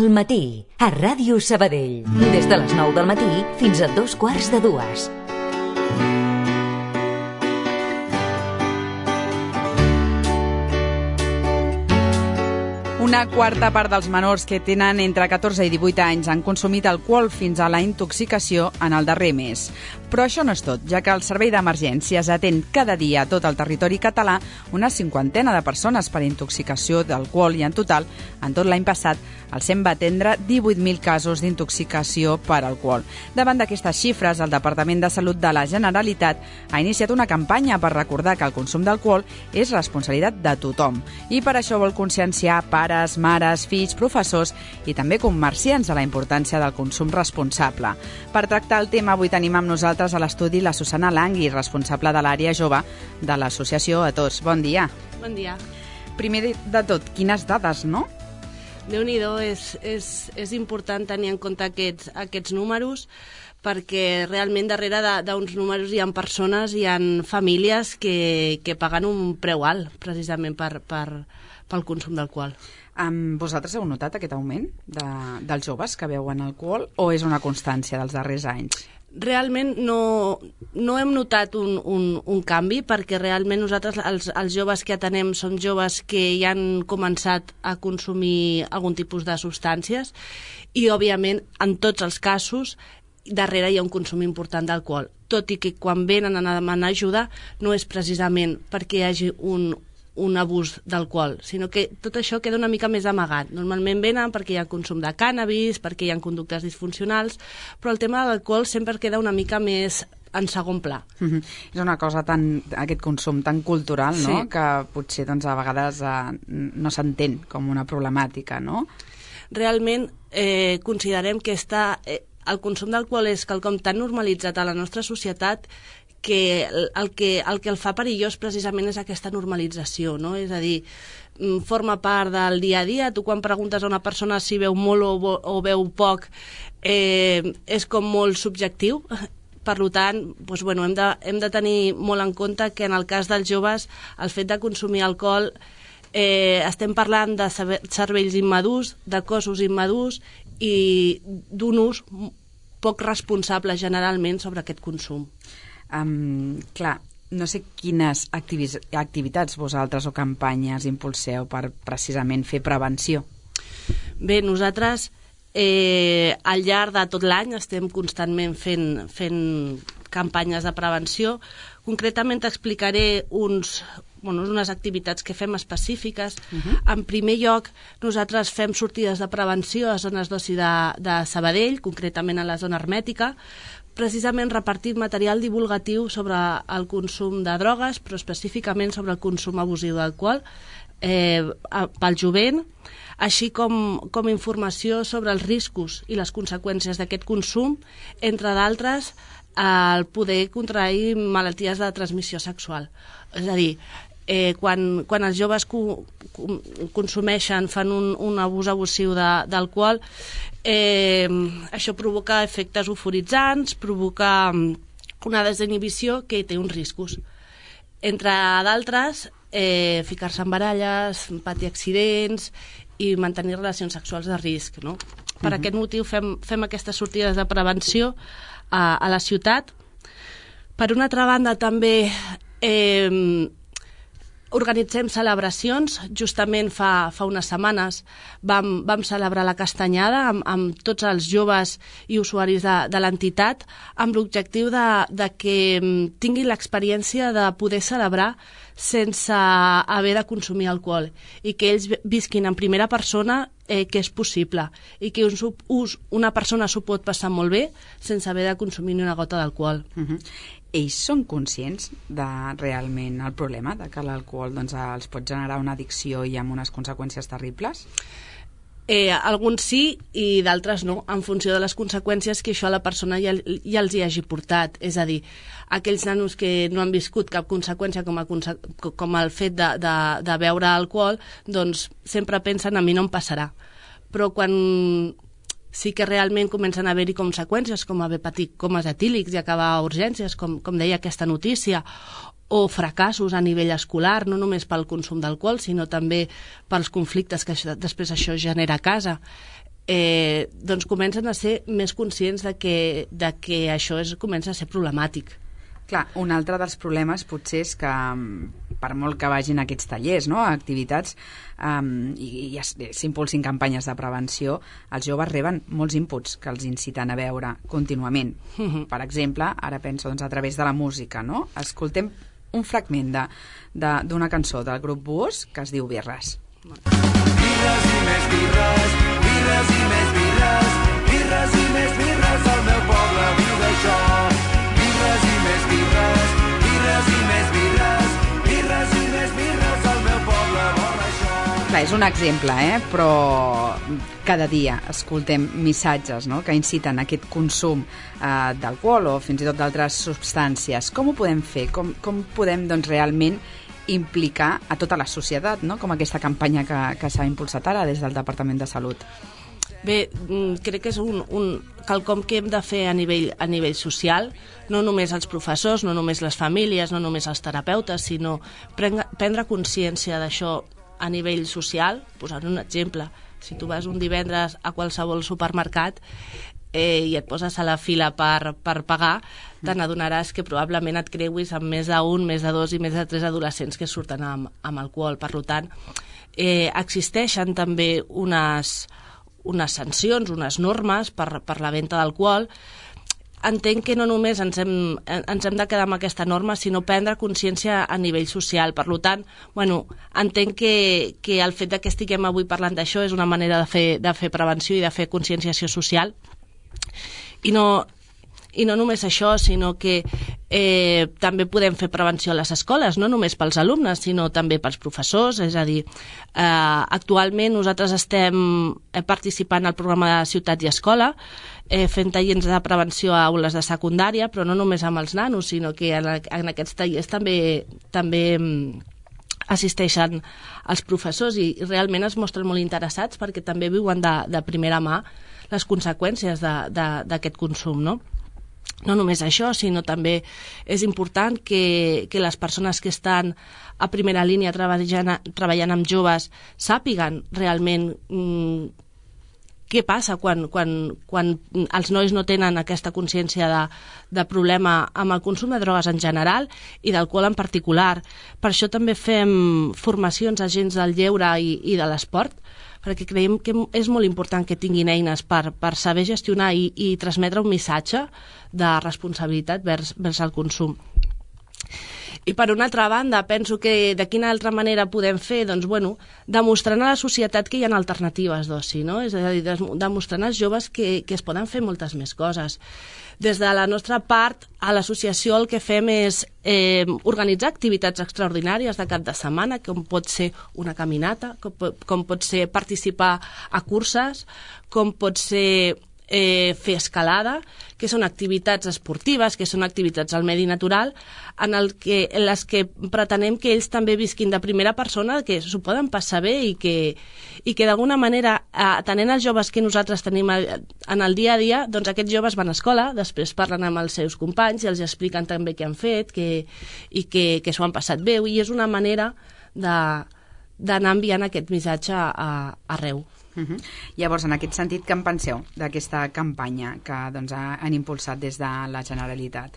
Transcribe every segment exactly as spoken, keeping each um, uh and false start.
Al matí, a Ràdio Sabadell. Des de les nou del matí fins a dos quarts de dues. Una quarta part dels menors que tenen entre catorze i divuit anys han consumit alcohol fins a la intoxicació en el darrer mes. Però això no és tot, ja que el Servei d'Emergències atén cada dia a tot el territori català una cinquantena de persones per intoxicació d'alcohol i en total, en tot l'any passat, el SEM va atendre divuit mil casos d'intoxicació per alcohol. Davant d'aquestes xifres, el Departament de Salut de la Generalitat ha iniciat una campanya per recordar que el consum d'alcohol és responsabilitat de tothom i per això vol conscienciar pares, mares, fills, professors i també comerciants de la importància del consum responsable. Per tractar el tema, avui tenim amb nosaltres a l'estudi la Susana Langui, responsable de l'àrea jove de l'associació A Tots. Bon dia. Bon dia. Primer de tot, quines dades, no? Déu-n'hi-do, és, és, és important tenir en compte aquests, aquests números perquè realment darrere d'uns números hi ha persones, hi ha famílies que, que paguen un preu alt precisament per, per, pel consum d'alcohol. Um, vosaltres heu notat aquest augment de, dels joves que beuen alcohol o és una constància dels darrers anys? Realment no, no hem notat un, un, un canvi perquè realment nosaltres, els, els joves que atenem, són joves que ja han començat a consumir algun tipus de substàncies i, òbviament, en tots els casos, darrere hi ha un consum important d'alcohol. Tot i que quan venen a demanar ajuda no és precisament perquè hi hagi un un abús d'alcohol, sinó que tot això queda una mica més amagat. Normalment venen perquè hi ha consum de cànnabis, perquè hi ha conductes disfuncionals, però el tema de l'alcohol sempre queda una mica més en segon pla. Mm-hmm. És una cosa tan, aquest consum tan cultural, no? Sí. Que potser doncs, a vegades eh, no s'entén com una problemàtica, no? Realment eh, considerem que està, eh, el consum d'alcohol és quelcom tan normalitzat a la nostra societat que el, que el que el fa perillós precisament és aquesta normalització, no? És a dir, forma part del dia a dia. Tu quan preguntes a una persona si veu molt o, o veu poc, eh, és com molt subjectiu. Per tant, doncs, bueno, hem, de, hem de tenir molt en compte que en el cas dels joves el fet de consumir alcohol eh, estem parlant de cervells immadurs, de cossos immadurs i d'un ús poc responsable generalment sobre aquest consum. Um, clar, no sé quines activis, activitats vosaltres o campanyes impulseu per precisament fer prevenció. Bé, nosaltres eh, al llarg de tot l'any estem constantment fent, fent campanyes de prevenció. Concretament t'explicaré uns, bueno, unes activitats que fem específiques. Uh-huh. En primer lloc, nosaltres fem sortides de prevenció a zones d'oci de, de Sabadell, concretament a la zona hermètica, precisament repartir material divulgatiu sobre el consum de drogues, però específicament sobre el consum abusiu d'alcohol eh, pel jovent, així com, com informació sobre els riscos i les conseqüències d'aquest consum, entre d'altres, el poder contrair malalties de transmissió sexual. És a dir, eh, quan, quan els joves co, co, consumeixen, fan un, un abús abusiu d'alcohol, eh, això provoca efectes euforitzants, provoca una desinhibició que té uns riscos. Entre d'altres, eh, ficar-se en baralles, patir accidents i mantenir relacions sexuals de risc, no? Per uh-huh. aquest motiu fem, fem aquestes sortides de prevenció a, a la ciutat. Per una altra banda, també eh, organitzem celebracions. Justament fa, fa unes setmanes vam, vam celebrar la Castanyada amb, amb tots els joves i usuaris de, de l'entitat amb l'objectiu de, de que tinguin l'experiència de poder celebrar sense haver de consumir alcohol i que ells visquin en primera persona eh, que és possible i que us, us, una persona s'ho pot passar molt bé sense haver de consumir ni una gota d'alcohol. Uh-huh. Ells són conscients de realment el problema, de que l'alcohol doncs, els pot generar una addicció i amb unes conseqüències terribles? Eh, alguns sí i d'altres no, en funció de les conseqüències que això a la persona ja, ja els hi hagi portat. És a dir, aquells nanos que no han viscut cap conseqüència com, a, com el fet de, de, de beure alcohol, doncs sempre pensen a mi no em passarà. Però quan sí que realment comencen a haver-hi conseqüències, com haver patit comes etílics i acabar a urgències, com, com deia aquesta notícia, o fracassos a nivell escolar, no només pel consum d'alcohol, sinó també pels conflictes que això, després això genera a casa. eh, doncs comencen a ser més conscients de que, de que això és, comença a ser problemàtic. Clar, un altre dels problemes potser és que per molt que vagin a aquests tallers, no?, a activitats um, i, i s'impulsin campanyes de prevenció, els joves reben molts inputs que els inciten a veure contínuament. Uh-huh. Per exemple, ara penso doncs, a través de la música, no? Escoltem un fragment de, de, d'una cançó del grup Búhos que es diu Birres. Birres i més birres, birres i més birres, birres i més birres, el meu poble viu d'això. Birres i més birres, birres i més birres, birres i més birres, el meu poble vol això. Clar, és un exemple, eh? Però cada dia escoltem missatges, no?, que inciten a aquest consum eh, d'alcohol o fins i tot d'altres substàncies. Com ho podem fer? Com, com podem, doncs, realment implicar a tota la societat, no?, com aquesta campanya que, que s'ha impulsat ara des del Departament de Salut? Bé, crec que és un, un quelcom que hem de fer a nivell, a nivell social, no només els professors, no només les famílies, no només els terapeutes, sinó prendre, prendre consciència d'això a nivell social. Posar un exemple, si tu vas un divendres a qualsevol supermercat eh, i et poses a la fila per, per pagar, te n'adonaràs que probablement et creuis amb més d'un, més de dos i més de tres adolescents que surten amb, amb alcohol. Per tant, eh, existeixen també unes... unes sancions, unes normes per, per la venda d'alcohol. Entenc que no només ens hem, ens hem de quedar amb aquesta norma, sinó prendre consciència a nivell social. Per tant, bueno, entenc que, que el fet de que estiguem avui parlant d'això és una manera de fer, de fer prevenció i de fer conscienciació social. I no... I no només això, sinó que eh, també podem fer prevenció a les escoles, no només pels alumnes, sinó també pels professors. És a dir, eh, actualment nosaltres estem participant al programa de Ciutat i Escola, eh, fent tallers de prevenció a aules de secundària, però no només amb els nanos, sinó que en, en aquests tallers també, també assisteixen els professors i realment es mostren molt interessats perquè també viuen de, de primera mà les conseqüències d'aquest consum, no? No només això, sinó també és important que, que les persones que estan a primera línia treballant, treballant amb joves sàpiguen realment mm, què passa quan, quan, quan els nois no tenen aquesta consciència de, de problema amb el consum de drogues en general i d'alcohol en particular. Per això també fem formacions a agents del lleure i, i de l'esport, perquè creiem que és molt important que tinguin eines per, per saber gestionar i, i transmetre un missatge de responsabilitat vers, vers el consum. I per una altra banda, penso que de quina altra manera podem fer? Doncs, bueno, demostrant a la societat que hi ha alternatives d'oci, no? És a dir, demostrant als joves que, que es poden fer moltes més coses. Des de la nostra part, a l'associació el que fem és eh, organitzar activitats extraordinàries de cap de setmana, com pot ser una caminata, com, com pot ser participar a curses, com pot ser eh, fer escalada, que són activitats esportives, que són activitats al medi natural, en, el que, en les que pretenem que ells també visquin de primera persona, que s'ho poden passar bé i que, i que d'alguna manera, atenent els joves que nosaltres tenim en el dia a dia, doncs aquests joves van a escola, després parlen amb els seus companys i els expliquen també què han fet que, i que, que s'ho han passat bé, i és una manera de, d'anar enviant aquest missatge a, a, arreu. Uh-huh. Llavors, en aquest sentit, què en penseu d'aquesta campanya que doncs, han impulsat des de la Generalitat?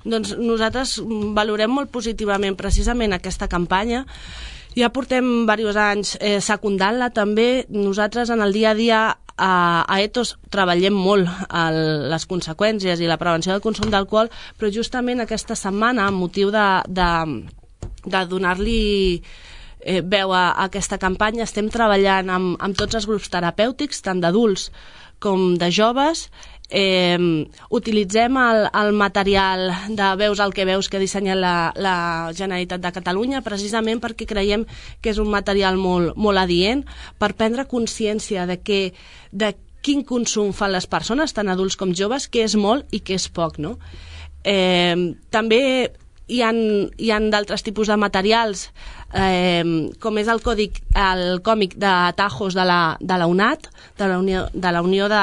Doncs nosaltres valorem molt positivament precisament aquesta campanya. Ja portem diversos anys eh, secundant-la també. Nosaltres en el dia a dia a, a Ethos treballem molt el, les conseqüències i la prevenció del consum d'alcohol, però justament aquesta setmana, amb motiu de, de, de donar-li Eh, veu a, a aquesta campanya, estem treballant amb, amb tots els grups terapèutics, tant d'adults com de joves. Eh, utilitzem el, el material de Veus el que veus que ha dissenyat la, la Generalitat de Catalunya, precisament perquè creiem que és un material molt, molt adient per prendre consciència de, que, de quin consum fan les persones, tant adults com joves, què és molt i què és poc, no? Eh, també hi ha, hi ha d'altres tipus de materials, eh, com és el, còdic, el còmic de Tajos de la, de la UNAT, de la Unió de, la Unió de,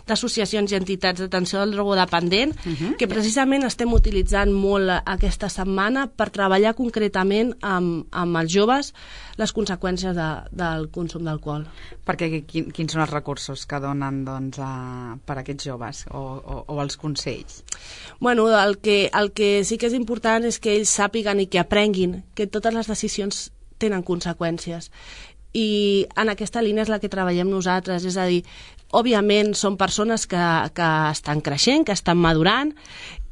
d'associacions i entitats d'atenció al drogodependent, uh-huh. que precisament estem utilitzant molt aquesta setmana per treballar concretament amb, amb els joves les conseqüències de, del consum d'alcohol. Perquè quin, quins són els recursos que donen doncs, a, per a aquests joves o, o, o els consells? Bueno, el que, el que sí que és important és que ells sàpiguen i que aprenguin que totes les decisions tenen conseqüències. I en aquesta línia és la que treballem nosaltres, és a dir, òbviament són persones que, que estan creixent, que estan madurant,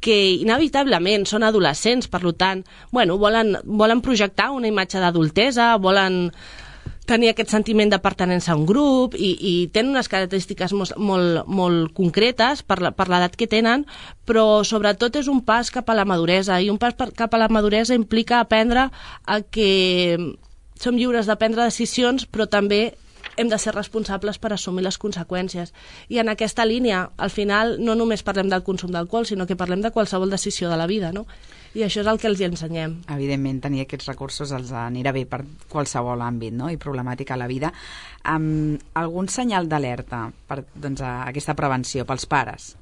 que inevitablement són adolescents, per tant, bueno, volen, volen projectar una imatge d'adultesa, volen tenir aquest sentiment de pertinença a un grup i, i tenen unes característiques molt, molt, molt concretes per l'edat que tenen, però sobretot és un pas cap a la maduresa, i un pas per, cap a la maduresa implica aprendre a que som lliures de prendre decisions, però també hem de ser responsables per assumir les conseqüències. I en aquesta línia, al final, no només parlem del consum d'alcohol, sinó que parlem de qualsevol decisió de la vida, no? I això és el que els hi ensenyem. Evidentment, tenir aquests recursos els anirà bé per qualsevol àmbit, no?, i problemàtica a la vida. Um, algun senyal d'alerta per doncs, a aquesta prevenció pels pares?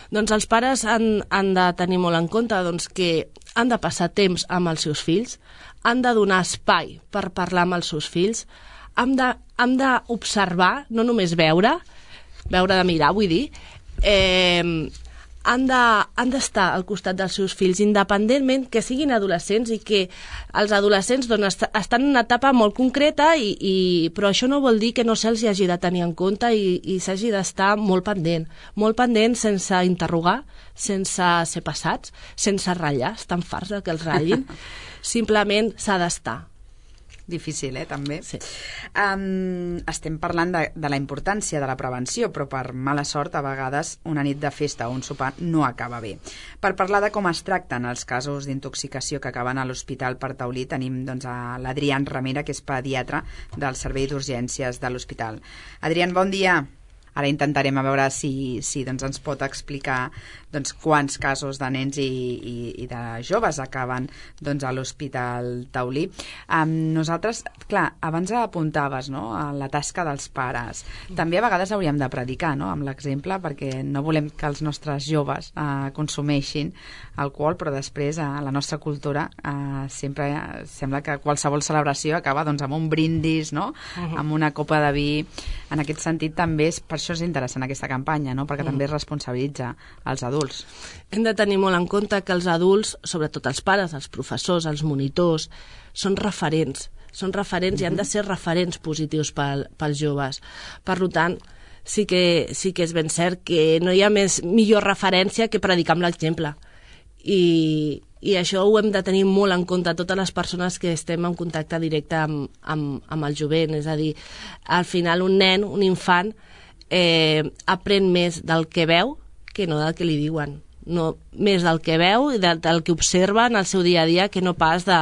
Doncs els pares han, han de tenir molt en compte doncs, que han de passar temps amb els seus fills, han de donar espai per parlar amb els seus fills, hem de, hem d'observar, no només veure, veure de mirar, vull dir, eh, han de, han d'estar al costat dels seus fills, independentment que siguin adolescents i que els adolescents doncs, est estan en una etapa molt concreta, i, i, però això no vol dir que no se'ls hagi de tenir en compte i, i s'hagi d'estar molt pendent, molt pendent sense interrogar, sense ser passats, sense ratllar, estan farts que els ratllin, simplement s'ha d'estar. Difícil, eh, també. Sí. Um, estem parlant de, de la importància de la prevenció, però per mala sort, a vegades, una nit de festa o un sopar no acaba bé. Per parlar de com es tracten els casos d'intoxicació que acaben a l'Hospital per Taulí, tenim doncs, a l'Adrián Ramera, que és pediatre del Servei d'Urgències de l'Hospital. Adrián, bon dia. Ara intentarem a veure si, si doncs, ens pot explicar doncs, quants casos de nens i, i, i de joves acaben doncs, a l'Hospital Taulí. Um, nosaltres, clar, abans apuntaves, no?, a la tasca dels pares. També a vegades hauríem de predicar, no?, amb l'exemple, perquè no volem que els nostres joves uh, consumeixin alcohol, però després a uh, la nostra cultura uh, sempre uh, sembla que qualsevol celebració acaba doncs, amb un brindis, no?, uh-huh. amb una copa de vi. En aquest sentit també és, per això és interessant aquesta campanya, no?, perquè uh-huh. també es responsabilitza als adults. Hem de tenir molt en compte que els adults, sobretot els pares, els professors, els monitors, són referents, són referents uh-huh. i han de ser referents positius pel, pels joves. Per tant, sí que, sí que és ben cert que no hi ha més millor referència que predicar amb l'exemple. I, i això ho hem de tenir molt en compte totes les persones que estem en contacte directe amb, amb, amb el jovent. És a dir, al final un nen, un infant, eh, aprèn més del que veu que no del que li diuen. No, més del que veu i del, del que observa en el seu dia a dia que no pas de,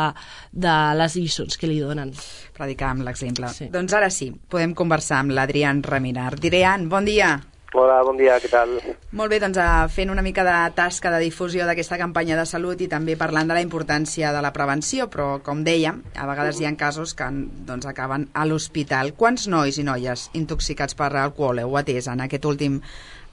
de les lliçons que li donen. Predicar amb l'exemple. Sí. Doncs ara sí, podem conversar amb l'Adrián Ramera. Adrián, bon dia. Hola, bon dia, què tal? Molt bé, doncs fent una mica de tasca de difusió d'aquesta campanya de salut i també parlant de la importància de la prevenció, però com dèiem, a vegades hi ha casos que doncs, acaben a l'hospital. Quants nois i noies intoxicats per alcohol heu atès en aquest últim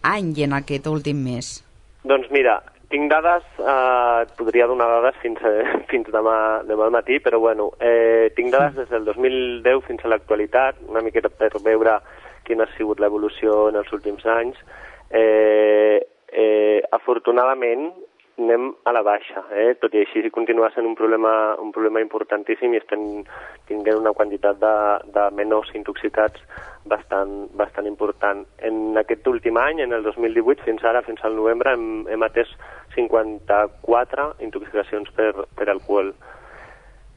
any i en aquest últim mes? Doncs mira, tinc dades, eh, et podria donar dades fins, eh, fins demà, demà al matí, però bueno, eh, tinc dades des del dos mil deu fins a l'actualitat, una miqueta per veure quina ha sigut l'evolució en els últims anys. Eh, eh, afortunadament anem a la baixa, eh? Tot i així continua sent un problema, un problema importantíssim i estem tinguent una quantitat de, de menors intoxicats bastant, bastant important. En aquest últim any, en el dos mil divuit, fins ara, fins al novembre, hem, hem atès cinquanta-quatre intoxicacions per, per alcohol.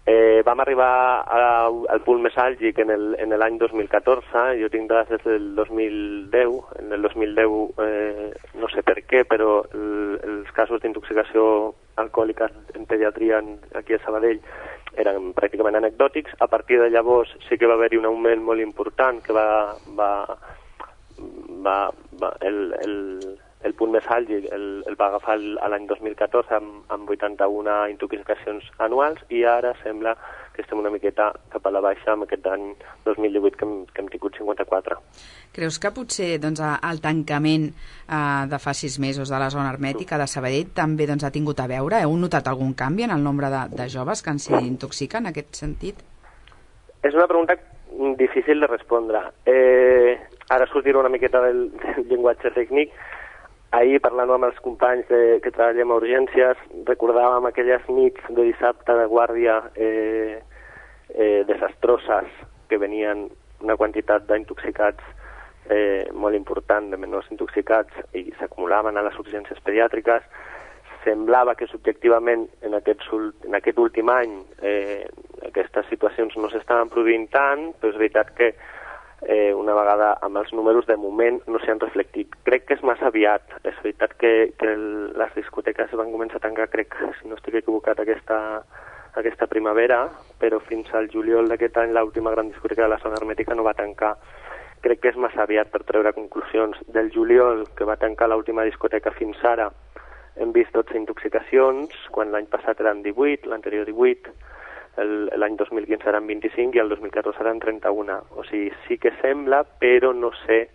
Eh, vam arribar a, al punt més àlgid en el, en l'any dos mil catorze, jo tinc dades des del dos mil deu, en el dos mil deu eh, no sé per què, però el, els casos d'intoxicació alcohòlica en pediatria aquí a Sabadell eren pràcticament anecdòtics. A partir de llavors sí que va haver-hi un augment molt important que va, va, va, va el, el, el punt més alt el, el va agafar l'any dos mil catorze amb, amb vuitanta-una intoxicacions anuals i ara sembla que estem una miqueta cap a la baixa amb aquest any dos mil divuit que hem, que hem tingut cinquanta-quatre. Creus que potser doncs, el tancament eh, de fa sis mesos de la zona hermètica de Sabadell també doncs, ha tingut a veure? Heu notat algun canvi en el nombre de, de joves que s'intoxiquen en aquest sentit? És una pregunta difícil de respondre. Eh, ara sortirà una miqueta del, del llenguatge tècnic. Ahir, parlant amb els companys de, que treballem a urgències, recordàvem aquelles nits de dissabte de guàrdia eh, eh, desastroses que venien una quantitat d'intoxicats eh, molt important, de menors intoxicats, i s'acumulaven a les urgències pediàtriques. Semblava que subjectivament en aquest, en aquest últim any eh, aquestes situacions no s'estaven produint tant, però és veritat que Eh, una vegada amb els números de moment no s'hi han reflectit. Crec que és massa aviat. És veritat que, que el, les discoteques van començar a tancar, crec, si no estic equivocat, aquesta, aquesta primavera, però fins al juliol d'aquest any l'última gran discoteca de la zona hermètica no va tancar. Crec que és massa aviat per treure conclusions. Del juliol, que va tancar l'última discoteca fins ara, hem vist dotze intoxicacions, quan l'any passat eren divuit, l'anterior divuit, l'any dos mil quinze eren vint-i-cinc i el dos mil catorze eren trenta-una. O sigui, sí que sembla, però no sé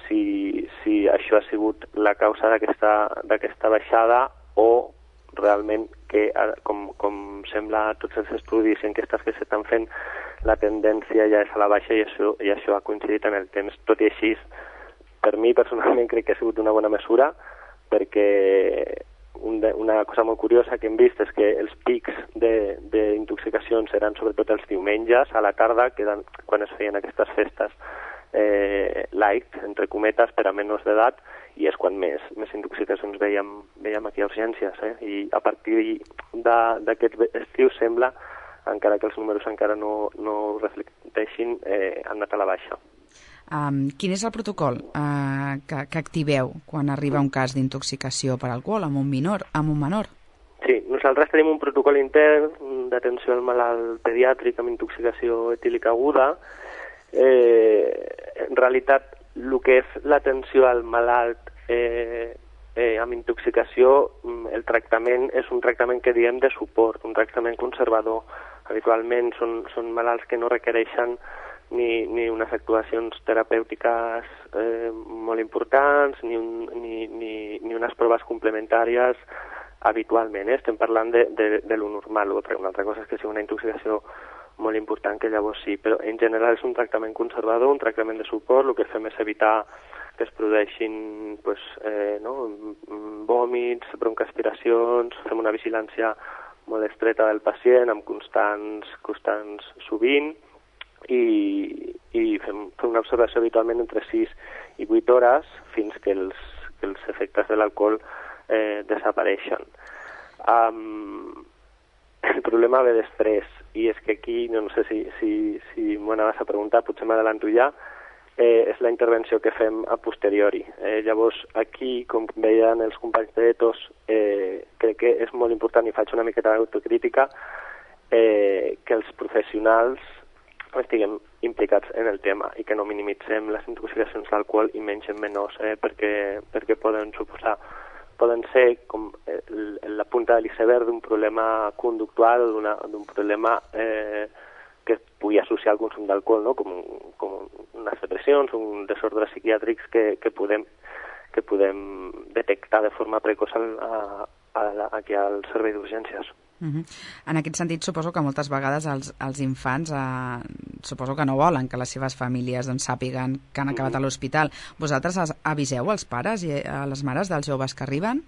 si, si això ha sigut la causa d'aquesta baixada o realment que, com, com sembla a tots els estudis i enquestes que s'estan fent, la tendència ja és a la baixa i això, i això ha coincidit en el temps. Tot i així, per mi personalment crec que ha sigut una bona mesura, perquè una cosa molt curiosa que hem vist és que els pics d'intoxicacions eren sobretot els diumenges a la tarda, que eren quan es feien aquestes festes eh, light, entre cometes, per a menors d'edat, i és quan més, més intoxicacions veiem, veiem aquí a urgències. Eh? I a partir d'aquest estiu sembla, encara que els números encara no, no reflecteixin, eh, han anat a la baixa. Um, quin és el protocol uh, que, que activeu quan arriba un cas d'intoxicació per alcohol amb un menor? Amb un menor? Sí, nosaltres tenim un protocol intern d'atenció al malalt pediàtric amb intoxicació etílica aguda. Eh, en realitat, el que és l'atenció al malalt eh, eh, amb intoxicació, el tractament és un tractament que diem de suport, un tractament conservador. Habitualment són, són malalts que no requereixen Ni, ni unes actuacions terapèutiques eh, molt importants, ni, un, ni, ni, ni unes proves complementàries habitualment. Eh? Estem parlant de, de, de lo normal. Una altra cosa és que sigui una intoxicació molt important, que llavors sí, però en general és un tractament conservador, un tractament de suport. El que fem és evitar que es produeixin pues, eh, no? vòmits, broncoaspiracions, fem una vigilància molt estreta del pacient amb constants, constants sovint, i, i fem, fem una observació habitualment entre sis i vuit hores fins que els, que els efectes de l'alcohol eh, desapareixen. Um, el problema ve després, i és que aquí, no, no sé si, si, si m'ho anaves a preguntar, potser m'adelanto ja, eh, és la intervenció que fem a posteriori. Eh, llavors, aquí, com veien els companys d'Etos, eh, crec que és molt important, i faig una miqueta d'autocrítica, eh, que els professionals estiguem implicats en el tema i que no minimitzem les intoxicacions d'alcohol i menys en menors, eh, perquè, perquè poden suposar, poden ser com el, la punta de l'iceberg d'un problema conductual, d'un problema eh, que es pugui associar al consum d'alcohol, no? com, com unes depressions, uns desordres psiquiàtrics que, que, podem, que podem detectar de forma precoç a, a, a, aquí al servei d'urgències. Uh-huh. En aquest sentit, suposo que moltes vegades els, els infants eh, suposo que no volen que les seves famílies doncs, sàpiguen que han acabat a l'hospital. Vosaltres aviseu als pares i a les mares dels joves que arriben?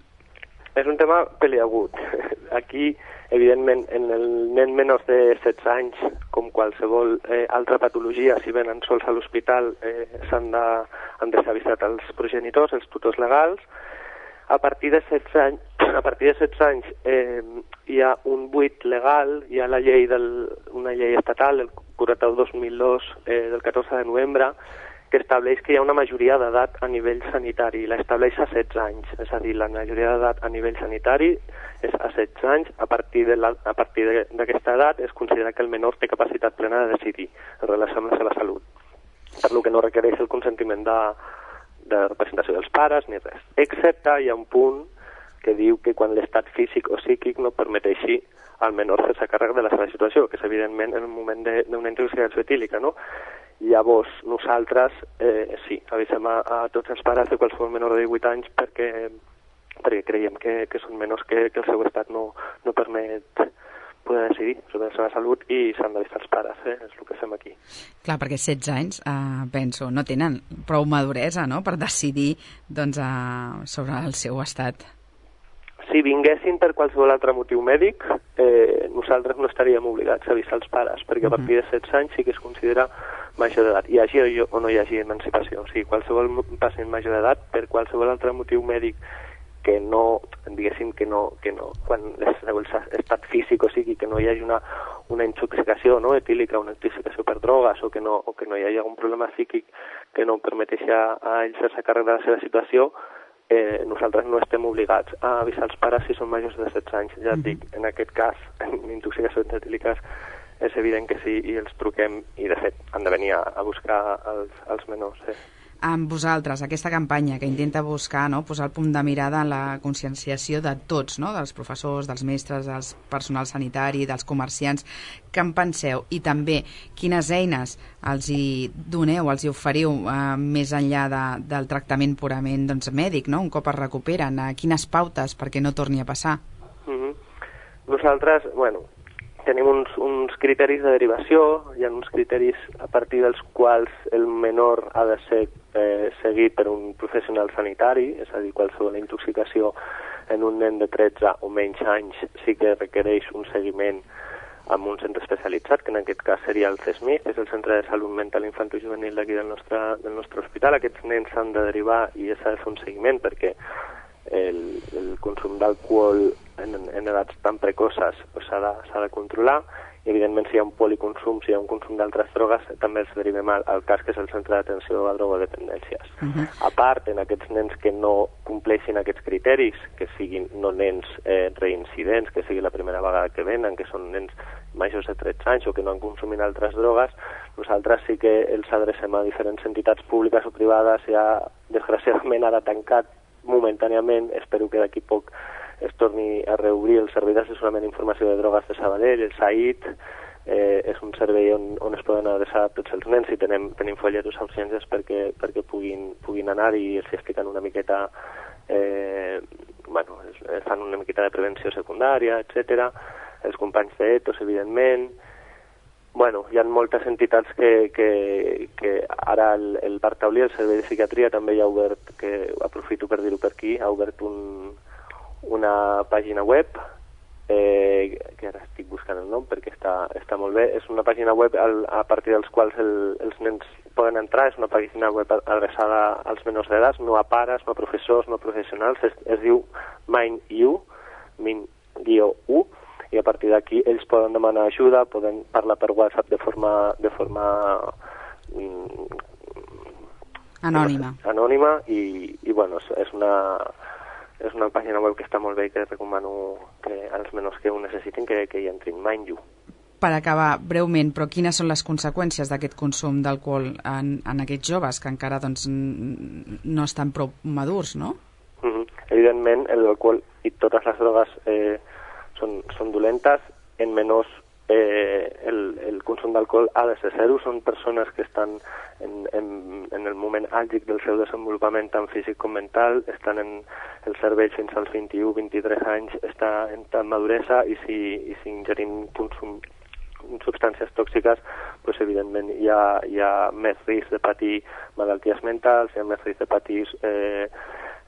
És un tema peliagut. Aquí, evidentment, en el nen menors de setze anys, com qualsevol eh, altra patologia, si venen sols a l'hospital, eh, s'han de, han de ser avisat als progenitors, els tutors legals. A partir de setze anys, a partir de setze anys eh, hi ha un buit legal, hi ha la llei del, una llei estatal, el quaranta-u dos mil dos eh, del catorze de novembre, que estableix que hi ha una majoria d'edat a nivell sanitari, la estableix a setze anys, és a dir, la majoria d'edat a nivell sanitari és a setze anys, a partir de la, a partir d'aquesta edat es considera que el menor té capacitat plena de decidir en relació amb la seva salut, per lo que no requereix el consentiment de, de representació dels pares ni res, excepte hi ha un punt que diu que quan l'estat físic o psíquic no permeteixi al menor fer-se càrrec de la seva situació, que és evidentment en el moment d'una intoxicació etílica, no? Llavors, nosaltres, eh, sí, avisem a, a tots els pares de qualsevol menor de divuit anys perquè, perquè creiem que, que són menors que, que el seu estat no, no permet poder decidir sobre la seva salut i s'han d'avisar els pares, eh? És el que fem aquí. Clar, perquè setze anys, eh, penso, no tenen prou maduresa, no?, per decidir doncs, eh, sobre el seu estat. Si vinguessin per qualsevol altre motiu mèdic, eh, nosaltres no estaríem obligats a avisar els pares, perquè a partir de setze anys sí que es considera major d'edat, hi hagi o no hi hagi emancipació. O sigui, qualsevol pacient major d'edat, per qualsevol altre motiu mèdic que no, diguéssim que no, que no, quan l'estat físic o sigui que no hi hagi una, una intoxicació no, etílica, una intoxicació per drogues o que no, o que no hi hagi algun problema psíquic que no permeteixi a, a ells fer-se càrrec de la seva situació, eh, nosaltres no estem obligats a avisar els pares si són majors de setze anys. Ja et dic, en aquest cas, en intoxicacions etíliques, és evident que sí, i els truquem, i de fet han de venir a, a buscar els, els menors. Eh. Amb vosaltres, aquesta campanya que intenta buscar, no, posar el punt de mirada en la conscienciació de tots, no, dels professors, dels mestres, del personal sanitari, dels comerciants, què en penseu? I també, quines eines els hi doneu, els hi oferiu eh, més enllà de, del tractament purament doncs, mèdic, no? Un cop es recuperen, eh, quines pautes perquè no torni a passar? Mm-hmm. Nosaltres, bueno, tenim uns, uns criteris de derivació, hi ha uns criteris a partir dels quals el menor ha de ser eh, seguit per un professional sanitari, és a dir, qualsevol intoxicació en un nen de tretze o menys anys sí que requereix un seguiment amb un centre especialitzat, que en aquest cas seria el C E S M I, que és el Centre de Salut Mental Infantojuvenil d'aquí del nostre, del nostre hospital. Aquests nens s'han de derivar i s'ha de fer un seguiment perquè el, el consum d'alcohol en, en edats tan precoces pues, s'ha de, s'ha de controlar, i evidentment si hi ha un policonsum, si hi ha un consum d'altres drogues, també els derivem al, al cas que és el Centre d'Atenció a Drogodependències. Uh-huh. A part, en aquests nens que no compleixin aquests criteris, que siguin no nens eh, reincidents, que sigui la primera vegada que venen, que són nens majors de tretze anys o que no han consumit altres drogues, nosaltres sí que els adrecem a diferents entitats públiques o privades. Ja, desgraciadament, ara tancat momentàniament, espero que d'aquí poc es torni a reobrir el Servei d'Assessorament i Informació de Drogues de Sabadell, el S A I T, eh, és un servei on, on es poden adreçar tots els nens i tenim, tenim folletos a urgències perquè, perquè puguin, puguin anar i els expliquen una miqueta, eh, bueno, es fan una miqueta de prevenció secundària, etcètera. Els companys d'Etos, evidentment. Bueno, hi ha moltes entitats que, que, que ara el, el Parc Taulí, el Servei de Psiquiatria, també ja ha obert, que aprofito per dir-ho per aquí, ha obert un, una pàgina web, eh, que ara estic buscant el nom perquè està, està molt bé. És una pàgina web al, a partir dels quals el, els nens poden entrar, és una pàgina web adreçada als menors d'edat, no a pares, no a professors, no a professionals, es, es diu Mind-U, Mind-U, i a partir d'aquí ells poden demanar ajuda, poden parlar per WhatsApp de forma, de forma mm, anònima, anònima i, i bueno, és, és una... és una pàgina web que està molt bé i que recomano que als menors que ho necessitin que, que hi entrin. Mind-U. Per acabar, breument, però quines són les conseqüències d'aquest consum d'alcohol en, en aquests joves que encara doncs, no estan prou madurs, no? Mm-hmm. Evidentment, l'alcohol i totes les drogues eh, són, són dolentes. En menors eh, el, el consum d'alcohol ha de ser zero. Són persones que estan en, en, en el moment àlgid del seu desenvolupament tant físic com mental, estan en el cervell fins als vint-i-u vint-i-tres anys, està en tal maduresa, i si, i si ingerim consum substàncies tòxiques, pues, evidentment hi ha, hi ha més risc de patir malalties mentals, hi ha més risc de patir eh,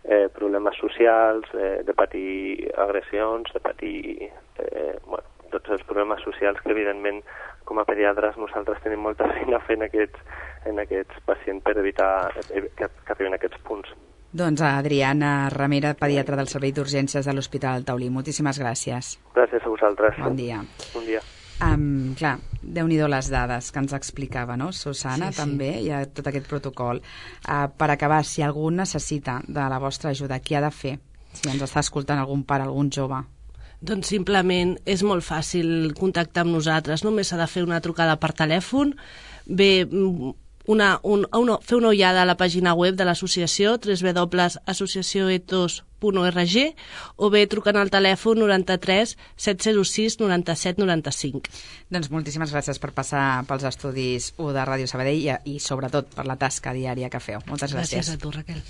eh, problemes socials, eh, de patir agressions, de patir eh, bueno, tots els problemes socials que evidentment com a pediatres nosaltres tenim molta feina fent aquests, en aquests pacients per evitar que, que arribin a aquests punts. Doncs Adriana Ramera, pediatra del Servei d'Urgències de l'Hospital Taulí. Moltíssimes gràcies. Gràcies a vosaltres. Bon dia. Bon dia. Um, clar, Déu-n'hi-do les dades que ens explicava, no? Susana, sí, sí. també, hi ha tot aquest protocol. Uh, per acabar, si algú necessita de la vostra ajuda, què ha de fer? Si ens està escoltant algun pare, algun jove. Doncs simplement és molt fàcil contactar amb nosaltres, només s'ha de fer una trucada per telèfon. Bé, una, un, una, fer una ullada a la pàgina web de l'associació, w w w punt associació ethos punt org, o bé trucant al telèfon noranta-tres set zero sis noranta-set noranta-cinc. Doncs moltíssimes gràcies per passar pels estudis u de Ràdio Sabadell i, i sobretot per la tasca diària que feu. Moltes gràcies. Gràcies a tu, Raquel.